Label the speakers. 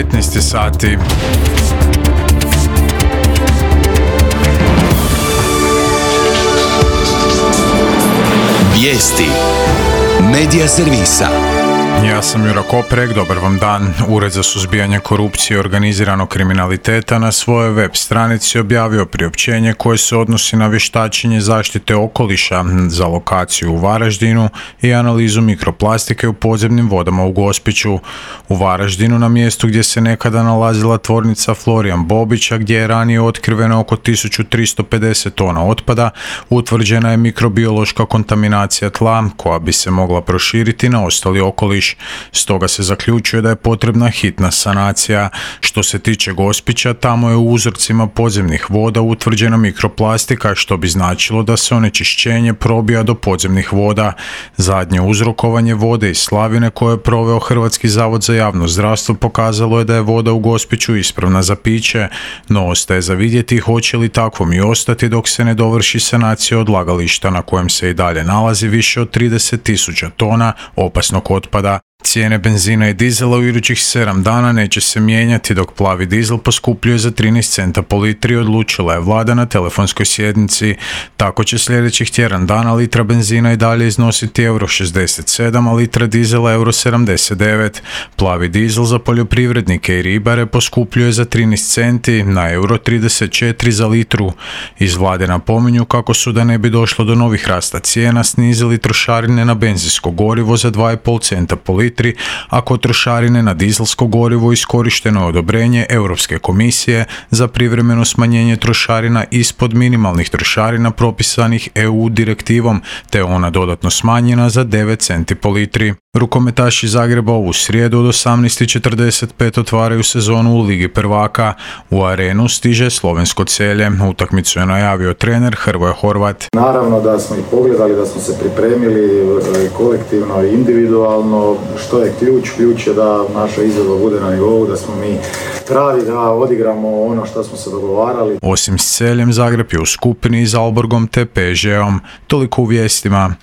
Speaker 1: 15 sati.
Speaker 2: Vijesti Medija servisa.
Speaker 1: Ja sam Jura Koprek, dobar vam dan. Ured za suzbijanje korupcije i organiziranog kriminaliteta na svojoj web stranici objavio priopćenje koje se odnosi na vještačenje zaštite okoliša za lokaciju u Varaždinu i analizu mikroplastike u podzemnim vodama u Gospiću. U Varaždinu, na mjestu gdje se nekada nalazila tvornica Florijan Bobića, gdje je ranije otkriveno oko 1350 tona otpada, utvrđena je mikrobiološka kontaminacija tla koja bi se mogla proširiti na ostali okoliš. Stoga se zaključuje da je potrebna hitna sanacija. Što se tiče Gospića, tamo je u uzorcima podzemnih voda utvrđena mikroplastika, što bi značilo da se onečišćenje probija do podzemnih voda. Zadnje uzrokovanje vode iz slavine koje je proveo Hrvatski zavod za javno zdravstvo pokazalo je da je voda u Gospiću ispravna za piće, no ostaje za vidjeti hoće li takvom i ostati dok se ne dovrši sanacija odlagališta na kojem se i dalje nalazi više od 30.000 tona opasnog otpada. Cijene benzina i dizela u idućih 7 dana neće se mijenjati, dok plavi dizel poskupljuje za 13 centa po litri, odlučila je vlada na telefonskoj sjednici. Tako će sljedećih tjedan dana litra benzina i dalje iznositi €67, a litra dizela €79. Plavi dizel za poljoprivrednike i ribare poskupljuje za 13 centi na €34 za litru. Iz vlade napominju kako su, da ne bi došlo do novih rasta cijena, snizili trošarine na benzinsko gorivo za 2,5 centa po litri, a kod trošarine na dizelsko gorivo iskorišteno je odobrenje Europske komisije za privremeno smanjenje trošarina ispod minimalnih trošarina propisanih EU direktivom, te ona dodatno smanjena za 9 centi po litri. Rukometaši Zagreba ovu srijedu od 18:45 otvaraju sezonu u Ligi prvaka. U Arenu stiže slovensko Celje. Utakmicu je najavio trener Hrvoje Horvat.
Speaker 3: Naravno da smo ih pogledali, da smo se pripremili kolektivno i individualno. Što je ključ? Ključ je da naša izvedba bude na nivou, da smo mi pravi, da odigramo ono što smo se dogovarali.
Speaker 1: Osim s Celjem, Zagreb je u skupini s Alborgom te PSG-om. Toliko u vijestima.